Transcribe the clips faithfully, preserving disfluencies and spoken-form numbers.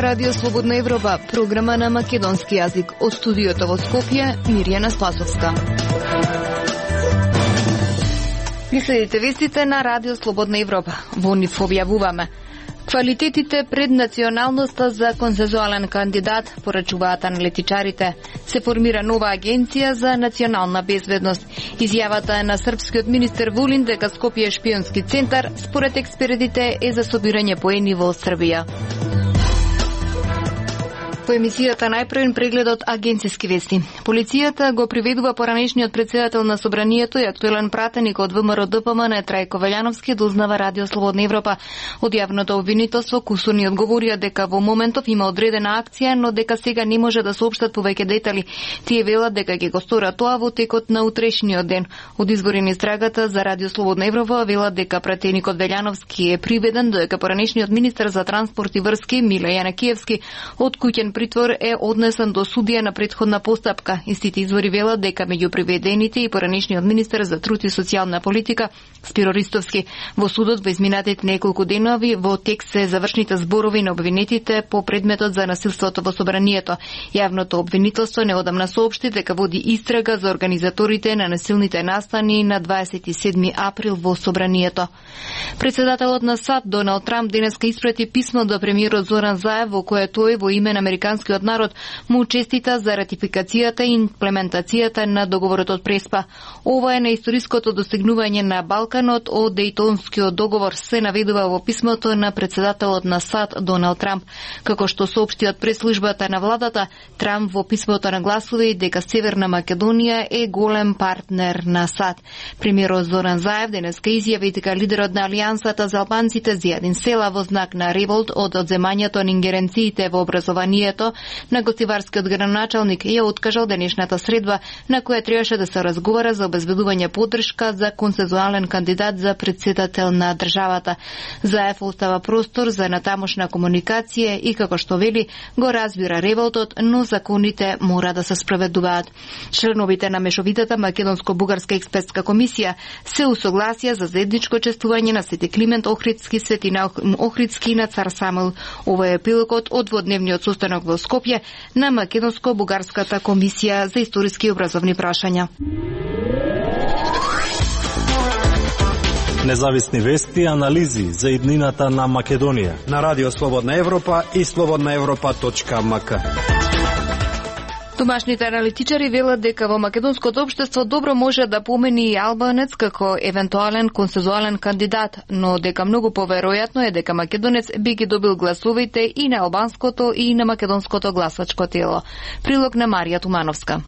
Ова Радио Слободна Европа, програма на македонски јазик. Од студиото во Скопје, Мирјана Спасовска. Ни следите вестите на Радио Слободна Европа. Во нив објавуваме: квалитетите пред националноста за консензуален кандидат, порачуваат аналитичарите. Се формира нова агенција за национална безбедност. Изјавата е на српскиот министер Вулин дека Скопје е шпионски центар, според експертите е за собирање поени во Србија. По емисијата најпрвен преглед од агенцијски вести. Полицијата го приведува поранешниот председател на Собранието и актуелен пратеник од ВМРО Д П М Н Трајко Велјановски, дознава Радио Слободна Европа. Од јавното обвинителство кусурни одговорија дека во моментов има одредена акција, но дека сега не може да соопштат повеќе детали. Тие велат дека ќе го сторат тоа во текот на утрешниот ден. Од извори на истрагата за Радио Слободна Европа велат дека пратеникот Велјановски е приведен, додека поранешниот министер за транспорт и врски Миле Јанакиевски од куќен притвор е однесен до судија на претходна постапка. Истите извори велат дека меѓу приведените и поранешниот министер за труд и социјална политика Спиро Ристовски. Во судот во изминатите неколку денови во текст се завршните зборови на обвинетите по предметот за насилството во Собранието. Јавното обвинителство неодамна соопшти дека води истрага за организаторите на насилните настани на дваесет и седми април во Собранието. Председателот на САД Доналд Трамп денеска испрати писмо до премиерот Зоран Заев во кое тој во име на американскиот народ му честита за ратификацијата и имплементацијата на договорот од Преспа. Ова е на историското достигнување на Балканот од Дејтонскиот договор, се наведува во писмото на председателот на САД Доналд Трамп. Како што соопшти од пресслужбата на владата, Трамп во писмото нагласува и дека Северна Македонија е голем партнер на САД. Премиерот Зоран Заев денеска изјави дека лидерот на Алијансата за албанците Зијадин Села во знак на револт од одземањето на ингеренциите во образованието на гостиварскиот градоначалник ја откажал денешната средба на која требаше да се разговара за обезбедување поддршка за консензуален кандидат за председател на државата. Заев остава простор за натамошна комуникација и, како што вели, го разбира револтот, но законите мора да се спроведуваат. Членовите на мешовитата македонско-бугарска експертска комисија се усогласија за заедничко чествување на Свети Климент Охридски, Светина Охридски и на Цар Самуил. Ова е епилогот од дводневниот состанок во Скопје на Македонско-бугарската комисија за историски и образовни прашања. Независни вести и анализи за иднината на Македонија на Радио Слободна Европа и слободна европа точка ем ка. Домашните аналитичари велат дека во македонското општество добро може да помени и албанец како евентуален консензуален кандидат, но дека многу поверојатно е дека македонец би ги добил гласовите и на албанското и на македонското гласачко тело. Прилог на Марија Тумановска.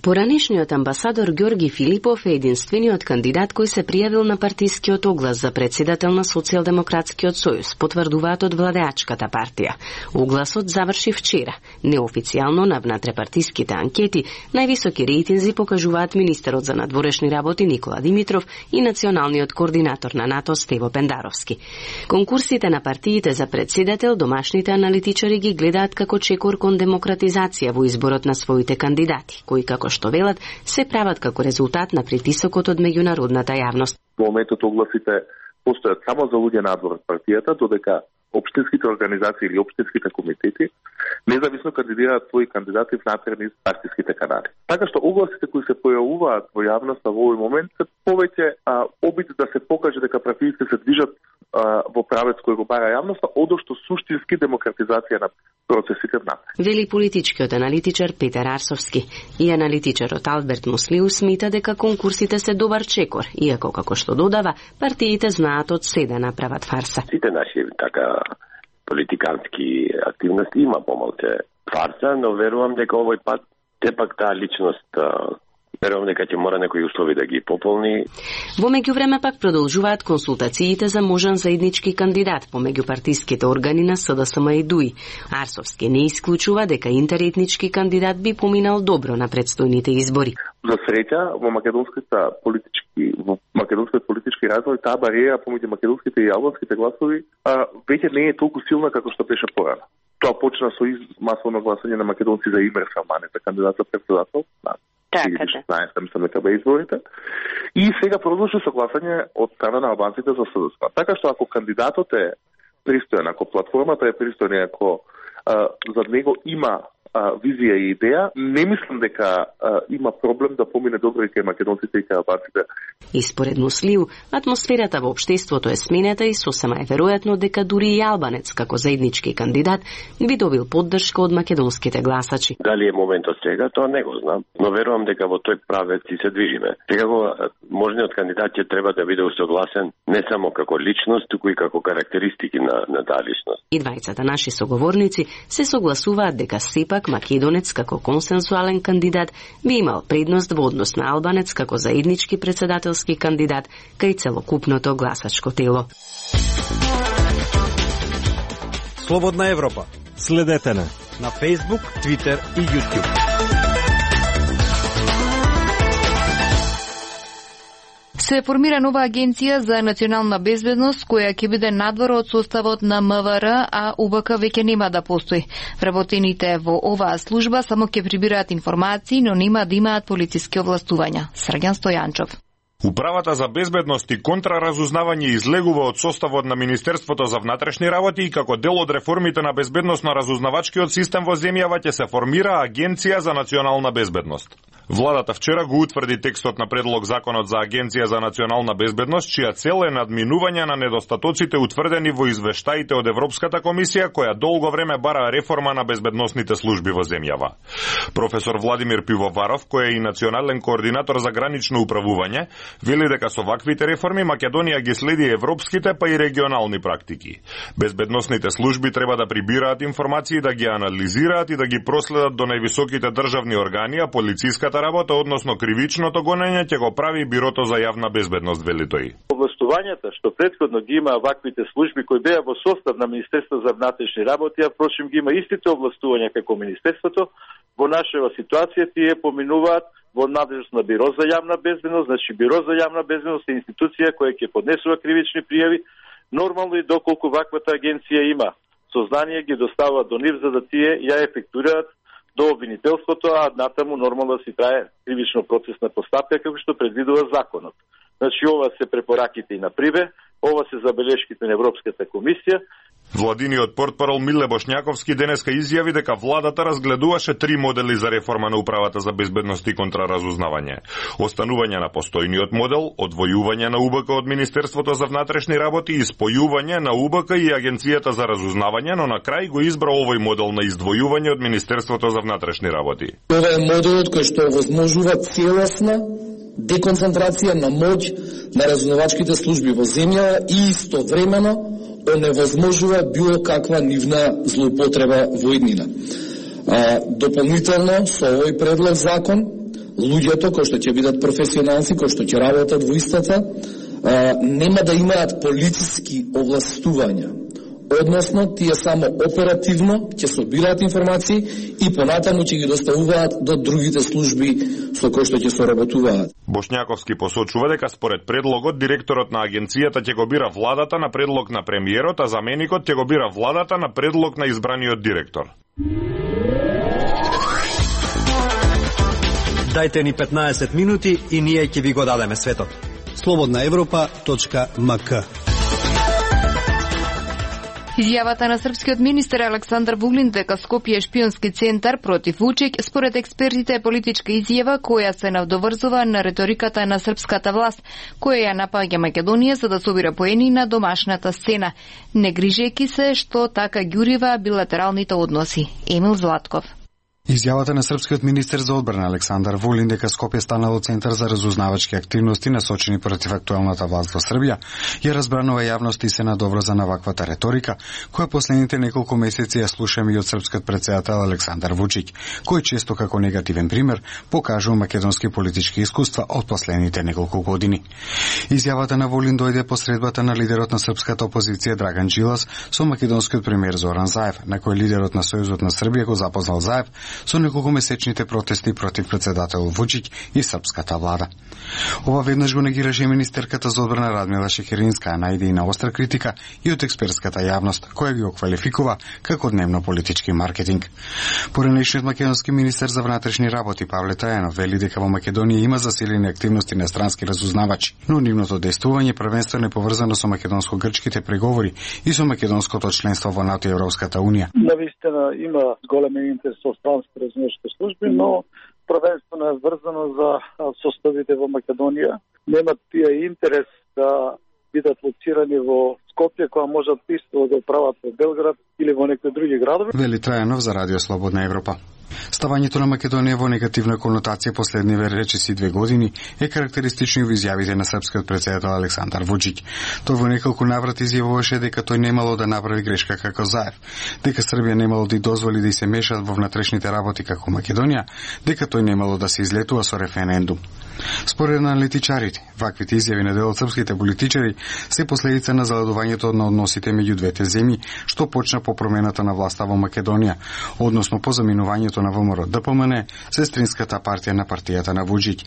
Поранешниот амбасадор Ѓорги Филипов е единствениот кандидат кој се пријавил на партискиот оглас за председател на Социјалдемократскиот сојуз, потврдуваат од владеачката партија. Огласот заврши вчера. Неофицијално на внатрепартиските анкети највисоки рейтинзи покажуваат министерот за надворешни работи Никола Димитров и националниот координатор на НАТО Стево Пендаровски. Конкурсите на партиите за председател домашните аналитичари ги гледаат како чекор кон демократизација во изборот на своите кандидати, кои како што велат, се прават како резултат на притисокот од меѓународната јавност. Во моментот огласите постојат само за луѓе надвор од партијата, додека општинските организации или општинските комитети независно кандидираат своји кандидати внатре низ партиските канали. Така што огласите кои се појавуваат во јавноста во овој момент се повеќе а, обид да се покаже дека партиите се движат а, во правец кој го бара јавноста, одошто суштински демократизација на процесите внатре. Вели политичкиот аналитичар Петар Арсовски. И аналитичарот Алберт Муслиу смета дека конкурсите се добар чекор, иако како што додава, партиите знаат од се да направат фарса. Сите наши така политикански активности има помалку фарса, но верувам дека овој пат тепак таа личност верувам дека ќе мора некои услови да ги пополни. Во меѓувреме пак продолжуваат консултациите за можен заеднички кандидат помеѓу партиските органи на С Д С М и Д У И. Арсовски не исклучува дека интеретнички кандидат би поминал добро на предстојните избори. За среќа во македонските политички во македонскиот политички развој таа бариера помеѓу македонските и албанските гласови а, веќе не е толку силна како што беше порано. Тоа почна со из масовно гласање на македонци за Имре Салмане за кандидат за председател на Така да. изборите. И сега продолжи со гласање од страна на албанците за С Д С М. Така што ако кандидатот е пристоен, ако платформата е пристојна, ако за него има а, визија и идеја. Не мислам дека а, има проблем да помине добро и кај македонците и кај албанците. И според Муслиу, атмосферата во општеството е сменета и сосема е веројатно дека дури и албанец како заеднички кандидат би добил поддршка од македонските гласачи. Дали е моментот сега, тоа не го знам, но верувам дека во тој правец и се движиме. Секако можниот кандидат ќе треба да биде усогласен не само како личност, туку и како карактеристики на, на таа личност. И двајцата наши соговорници се согласуваат дека сепак македонец како консенсуален кандидат би имал предност во однос на албанец како заеднички председателски кандидат кај целокупното гласачко тело. Слободна Европа. Следете на на Facebook, Twitter и YouTube. Се формира нова агенција за национална безбедност, која ќе биде надвор од составот на М В Р, а У Б К веќе нема да постои. Вработените во оваа служба само ќе прибираат информации, но нема да имаат полициски овластувања. Срѓан Стојанчов. Управата за безбедност и контраразузнавање излегува од составот на Министерството за внатрешни работи и како дел од реформите на безбедносно-разузнавачкиот систем во земјава ќе се формира Агенција за национална безбедност. Владата вчера го утврди текстот на предлог законот за Агенција за национална безбедност, чија цел е надминување на недостатоците утврдени во извештаите од Европската комисија, која долго време бара реформа на безбедносните служби во земјава. Професор Владимир Пивоваров, кој е и национален координатор за гранично управување, вели дека со ваквите реформи Македонија ги следи европските па и регионални практики. Безбедносните служби треба да прибираат информации, да ги анализираат и да ги проследат до највисоките државни органи, а полициската работа, односно кривичното гонење, ќе го прави Бирото за јавна безбедност, вели тој. Овластувањата што претходно ги има ваквите служби кои беа во состав на Министерство за внатрешни работи, а впрочем ги има истите овластувања како Министерството, во нашава ситуација тие поминуваат во надлежност на Биро за јавна безбедност. Значи Биро за јавна безбедност е институција која ќе поднесува кривични пријави, нормално и доколку ваквата агенција има сознание ги доставува до нив за да тие ја ефектуираат до обвинителството, а натаму нормално да си трае кривично процесна постапка како што предвидува законот. Значи ова се препораките и на Прибе, ова се забелешките на Европската комисија. Владиниот портпарол Миле Бошњаковски денеска изјави дека владата разгледуваше три модели за реформа на управата за безбедност и контраразузнавање. Останување на постојниот модел, одвојување на У Б К од Министерството за внатрешни работи и спојување на У Б К и Агенцијата за разузнавање, но на крај го избра овој модел на издвојување од Министерството за внатрешни работи. Ова е моделот кој што овозможува целосна деконцентрација на моќ на разузнавачките служби во земја и истовремено оневозможува било каква нивна злоупотреба во иднина. А, дополнително со овој предлог закон, луѓето кои што ќе бидат професионалци, кои што ќе работат во истата, а, нема да имаат полициски овластувања. Односно, тие само оперативно ќе собираат информации и понатаму ќе ги доставуваат до другите служби со кои што ќе соработуваат. Бошњаковски посочува дека според предлогот директорот на агенцијата ќе го бира владата на предлог на премиерот, а заменикот ќе го бира владата на предлог на избраниот директор. Дајте ни петнаесет минути и ние ќе ви го дадеме светот. слободна европа точка м к. Изјавата на српскиот министер Александар Вуглин дека Скопје е шпионски центар против Вучик, според експертите е политичка изјава која се надоврзува на реториката на српската власт, која ја напаѓа Македонија за да собира поени на домашната сцена, не грижејќи се што така ѓурива билатералните односи. Емил Златков. Изјавата на српскиот министер за одбрана Александар Вулин дека Скопје станало центар за разузнавачки активности насочени против актуелната власт во Србија, ја разбранува јавност и се надоврза на ваквата реторика, која последните неколку месеци ја слушаме и од српскиот претседател Александар Вучик, кој често како негативен пример покажува македонски политички искуства од последните неколку години. Изјавата на Вулин дојде по средбата на лидерот на српската опозиција Драган Джилас со македонскиот премиер Зоран Заев, на кој лидерот на Сојузот на Србија го запознал Заев со неколкомесечните протести против председател Вучиќ и српската влада. Ова веднаш го негираше министерката за одбрана Радмила Шекеринска, а најде и на остра критика и од експертската јавност, која ги оквалификува како дневно политички маркетинг. Поранешниот македонски министер за внатрешни работи Павле Тајанов вели дека во Македонија има засилени активности на странски разузнавачи, но нивното дејствување првенствено е поврзано со македонско-грчките преговори и со македонското членство во НАТО и Европската унија. Навистина има голем интерес со странски разузнавачки служби, но првенствено е врзано за составите во Македонија. Немат тие интерес да бидат лоцирани во Скопје, која можат исто да прават во Белград или во некои други градови. Вели Трајанов за Радио Слободна Европа. Ставањето на Македонија во негативна конотација последниве речиси две години е карактеристично во изјавите на српскиот председател Александар Вучиќ. Тој во неколку наврати изјавуваше дека тој немало да направи грешка како Заев, дека Србија немало да дозволи да се мешат во внатрешните работи како Македонија, дека тој немало да се излетува со референдум. Според аналитичарите, ваквите изјави на дел од српските политичари се последица на заладувањето на односите меѓу двете земји, што почна по промената на власта во Македонија, односно по заминувањето на ВМРО Д П М Н, сестринската партија на партијата на Вучиќ.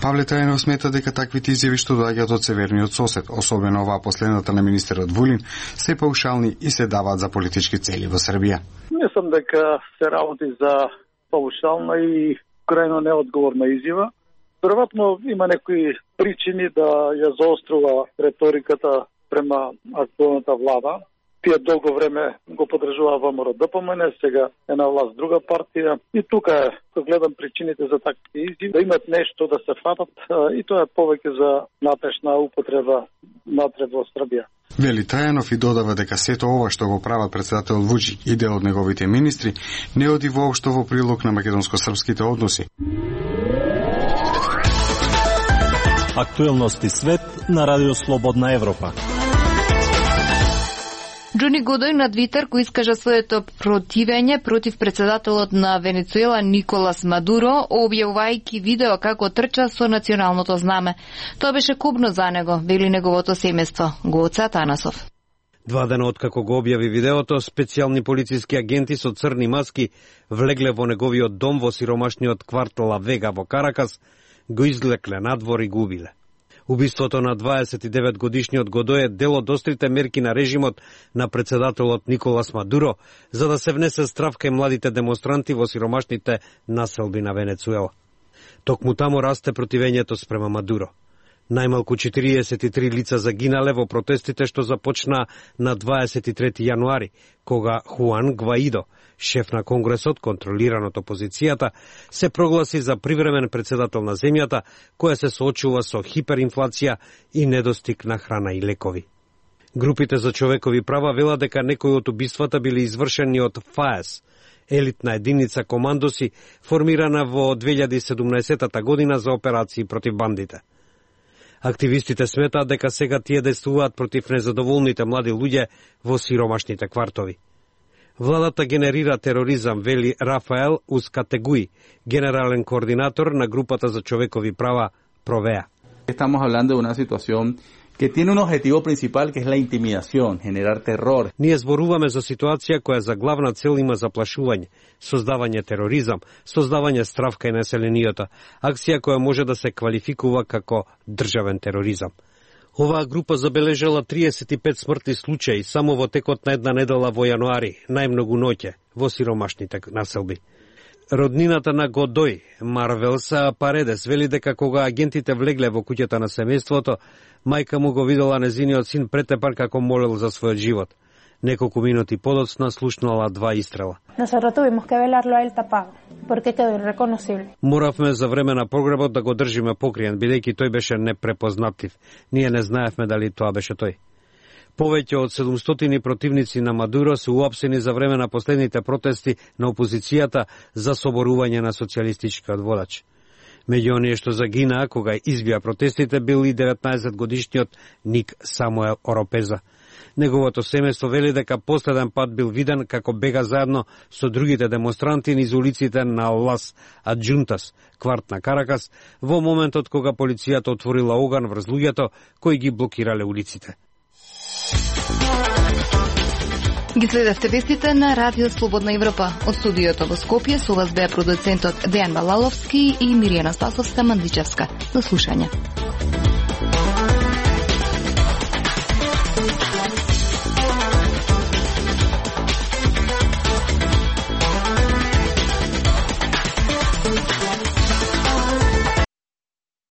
Павле Тајанов смета дека таквите изјави што доаѓаат од северниот сосед, особено оваа последната на министерот Вулин, се паушални и се даваат за политички цели во Србија. Мислам дека се работи за паушална и крајно неодговорна изјава. Веројатно има некои причини да ја заострува реториката према актуелната влада. Тие долго време го подржува ВМРО Д П М Н, сега е на власт друга партија. И тука е, кога гледам причините за таквите изјави, да имат нешто да се фатат, и тоа е повеќе за натрешна употреба натреб во Србија. Вели Трајанов и додава дека сето ова што го прават председател Вучиќ и дел од неговите министри не оди воопшто во прилог на македонско-српските односи. Актуелности свет на Радио Слободна Европа. Џони Годој на Твитер кој искажа своето противење против председателот на Венецуела Николас Мадуро, објавувајќи видео како трча со националното знаме. Тоа беше кобно за него, вели неговото семејство, Гоце Атанасов. Два дена откако го објави видеото, специјални полициски агенти со црни маски влегле во неговиот дом во сиромашниот квартал Ла Вега во Каракас, го излекле надвор и го убиле. Убиството на дваесет и девет годишниот Годој е дел од острите мерки на режимот на председателот Николас Мадуро за да се внесе страв кај младите демонстранти во сиромашните населби на Венецуела. Токму таму расте противењето спрема Мадуро. Најмалку четириесет и три лица загинале во протестите што започна на дваесет и трети јануари, кога Хуан Гваидо, шеф на Конгресот, контролиран од опозицијата, се прогласи за привремен председател на земјата, која се соочува со хиперинфлација и недостиг на храна и лекови. Групите за човекови права велат дека некои од убиствата били извршени од ФАЕС, елитна единица командоси формирана во две илјади и седумнаесетта година за операции против бандите. Активистите сметаат дека сега тие действуваат против незадоволните млади луѓе во сиромашните квартови. Владата генерира тероризам, вели Рафаел Ускатегуи, генерален координатор на групата за човекови права Провеа. Estamos hablando de una situación que tiene un objetivo principal que es la intimidación, generar terror. Ние зборуваме за ситуација која за главна цел има заплашување, создавање тероризам, создавање страв кај населениото, акција која може да се квалификува како државен тероризам. Оваа група забележала триесет и пет смртни случаи само во текот на една недела во јануари, најмногу ноќе, во сиромашните населби. Роднината на Годој, Марвелса Паредес, вели дека кога агентите влегле во куќата на семејството, мајка му го видела незиниот син претепан како молел за својот живот. Неколку минути подоцна слушнала два истрела. Nosotros tuvimos que velarlo a él tapado, porque quedó irreconocible. Моравме за време на погребот да го држиме покриен, бидејќи тој беше непрепознатлив. Ние не знаевме дали тоа беше тој. Повеќе од седумстотини противници на Мадуро се уапсени за време на последните протести на опозицијата за соборување на социјалистичкиот водач. Меѓу оние што загинаа кога избија протестите бил и деветнаесет годишниот Ник Самуел Оропеза. Неговото семејство вели дека последен пат бил виден како бега заедно со другите демонстранти низ улиците на Лас Аджунтас, кварт на Каракас, во моментот кога полицијата отворила оган врз луѓето кои ги блокирале улиците. Ги следевте вестите на Радио Слободна Европа. Од студиото во Скопје со вас беа продуцентот Дејан Балаловски и Миријана Спасовска Манличевска. До слушање.